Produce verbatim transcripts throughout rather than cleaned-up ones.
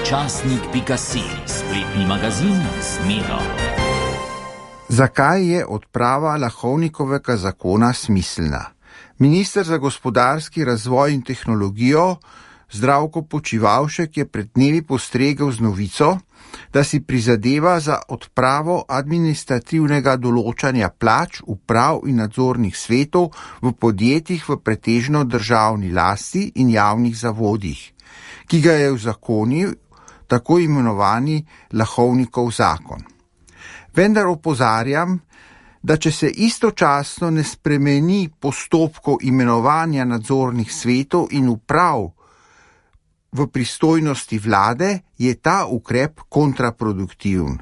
časnik pika si, spletni magazin z Miro. Zakaj je odprava Lahovnikovega zakona smiselna? Minister za gospodarski razvoj in tehnologijo Zdravko Počivalšek je pred dnevi postregel z novico, da si prizadeva za odpravo administrativnega določanja plač, uprav in nadzornih svetov v podjetjih v pretežno državni lasti in javnih zavodih, ki ga je uzakonil tako imenovani Lahovnikov zakon. Vendar opozarjam, da če se istočasno ne spremeni postopkov imenovanja nadzornih svetov in uprav v pristojnosti vlade, je ta ukrep kontraproduktiven.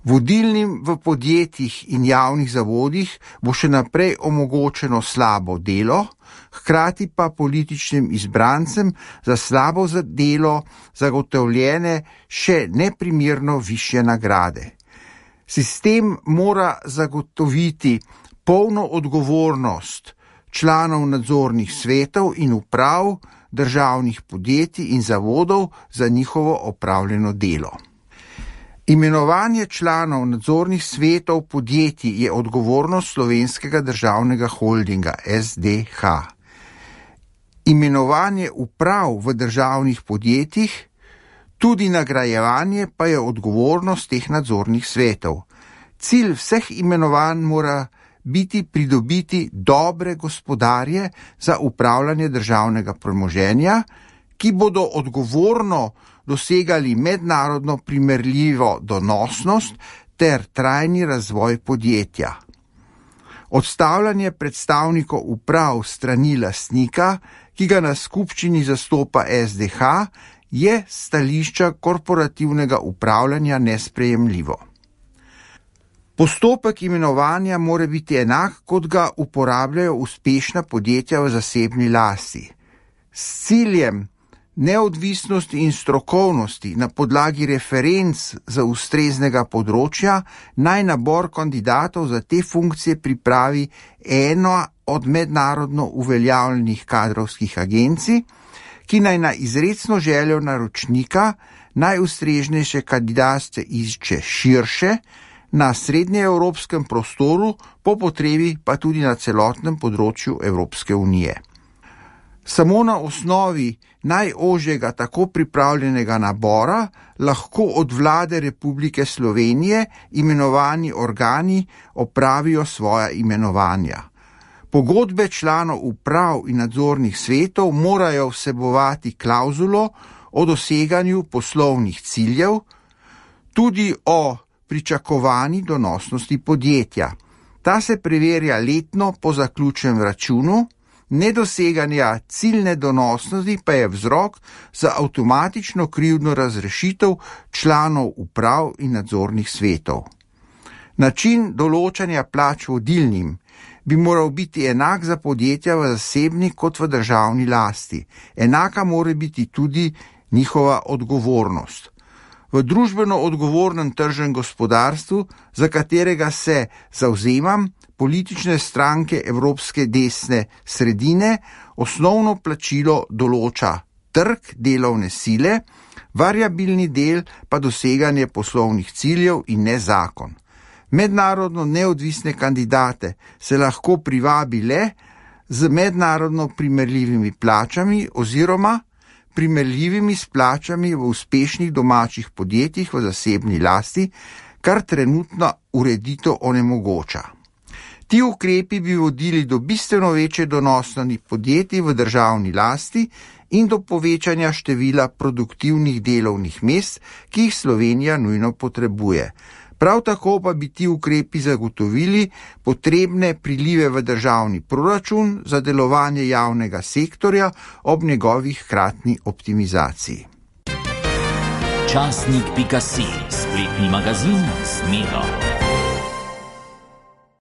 Vodilnim v podjetjih in javnih zavodih bo še naprej omogočeno slabo delo, hkrati pa političnim izbrancem za slabo delo zagotovljene še neprimerno višje nagrade. Sistem mora zagotoviti polno odgovornost članov nadzornih svetov in uprav državnih podjetij in zavodov za njihovo opravljeno delo. Imenovanje članov nadzornih svetov podjetij je odgovornost Slovenskega državnega holdinga S D H. Imenovanje uprav v državnih podjetjih, tudi nagrajevanje pa je odgovornost teh nadzornih svetov. Cilj vseh imenovanj mora biti pridobiti dobre gospodarje za upravljanje državnega premoženja, ki bodo odgovorno dosegali mednarodno primerljivo donosnost ter trajni razvoj podjetja. Odstavljanje predstavnikov uprav strani lastnika, ki ga na skupščini zastopa S D H, je stališča korporativnega upravljanja nesprejemljivo. Postopek imenovanja mora biti enak, kot ga uporabljajo uspešna podjetja v zasebni lasti. S ciljem neodvisnosti in strokovnosti na podlagi referenc za ustreznega področja naj nabor kandidatov za te funkcije pripravi eno od mednarodno uveljavljenih kadrovskih agencij, ki naj na izrecno željo naročnika najustreznejše kandidate išče širše, na srednjeevropskem prostoru, po potrebi pa tudi na celotnem področju Evropske unije. Samo na osnovi najožjega tako pripravljenega nabora lahko od vlade Republike Slovenije imenovani organi opravijo svoja imenovanja. Pogodbe članov uprav in nadzornih svetov morajo vsebovati klauzulo o doseganju poslovnih ciljev, tudi o pričakovani donosnosti podjetja. Ta se preverja letno po zaključenem računu, nedoseganja ciljne donosnosti pa je vzrok za avtomatično krivdno razrešitev članov uprav in nadzornih svetov. Način določanja plač vodilnim bi moral biti enak za podjetja v zasebni kot v državni lasti. Enaka mora biti tudi njihova odgovornost. V družbeno odgovornem tržnem gospodarstvu, za katerega se zavzemam, politične stranke evropske desne sredine osnovno plačilo določa trg delovne sile, variabilni del pa doseganje poslovnih ciljev in ne zakon. Mednarodno neodvisne kandidate se lahko privabi le z mednarodno primerljivimi plačami oziroma primerljivimi s plačami v uspešnih domačih podjetjih v zasebni lasti, kar trenutna ureditev onemogoča. Ti ukrepi bi vodili do bistveno večje donosnosti podjetij v državni lasti in do povečanja števila produktivnih delovnih mest, ki jih Slovenija nujno potrebuje. Prav tako pa bi ti ukrepi zagotovili potrebne prilive v državni proračun za delovanje javnega sektorja ob njegovih hkratni optimizaciji. časnik pika si, spletni magazin z Miro.